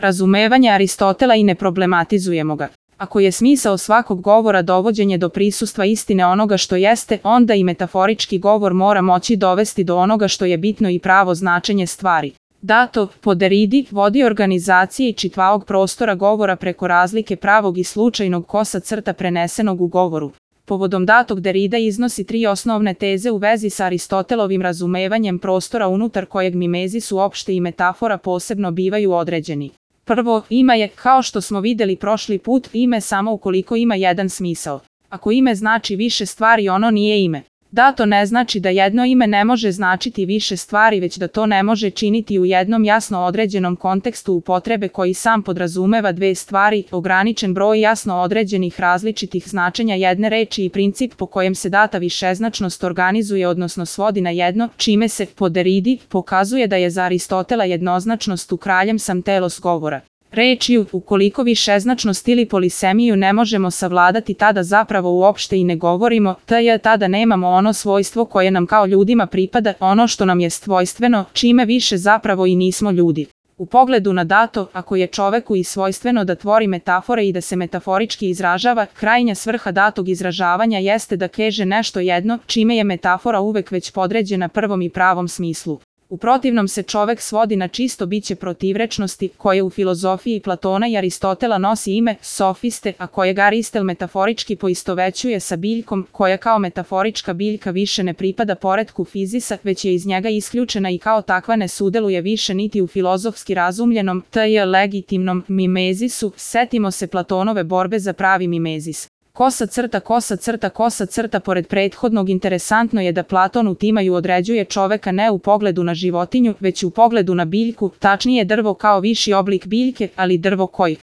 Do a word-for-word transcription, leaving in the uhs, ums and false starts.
razumevanje Aristotela i ne problematizujemo ga. Ako je smisao svakog govora dovođenje do prisustva istine onoga što jeste, onda i metaforički govor mora moći dovesti do onoga što je bitno i pravo značenje stvari. Dato, po Derridi, vodi organizacije i čitavog prostora govora preko razlike pravog i slučajnog kosa crta prenesenog u govoru. Povodom datog Derrida iznosi tri osnovne teze u vezi sa Aristotelovim razumevanjem prostora unutar kojeg mimezis uopšte i metafora posebno bivaju određeni. Prvo, ime je, kao što smo videli prošli put, ime samo ukoliko ima jedan smisao. Ako ime znači više stvari, ono nije ime. Dato ne znači da jedno ime ne može značiti više stvari, već da to ne može činiti u jednom jasno određenom kontekstu upotrebe koji sam podrazumeva dve stvari, ograničen broj jasno određenih različitih značenja jedne reči i princip po kojem se data višeznačnost organizuje odnosno svodi na jedno, čime se, po Derridi, pokazuje da je za Aristotela jednoznačnost u kraljem sam telos govora. Rečju, ukoliko višeznačnost ili polisemiju ne možemo savladati, tada zapravo uopšte i ne govorimo, tj. tada nemamo ono svojstvo koje nam kao ljudima pripada, ono što nam je svojstveno, čime više zapravo i nismo ljudi. U pogledu na dato, ako je čoveku i svojstveno da tvori metafore i da se metaforički izražava, krajnja svrha datog izražavanja jeste da kaže nešto jedno, čime je metafora uvek već podređena prvom i pravom smislu. U protivnom se čovek svodi na čisto biće protivrečnosti, koje u filozofiji Platona i Aristotela nosi ime sofiste, a kojeg Aristel metaforički poistovećuje sa biljkom, koja kao metaforička biljka više ne pripada poretku fizisa, već je iz njega isključena i kao takva ne sudeluje više niti u filozofski razumljenom, tj. legitimnom mimezisu. Setimo se Platonove borbe za pravi mimezis. Kosa crta, kosa crta, kosa crta. Pored prethodnog, interesantno je da Platon u timaju određuje čoveka ne u pogledu na životinju, već u pogledu na biljku, tačnije drvo kao viši oblik biljke, ali drvo koji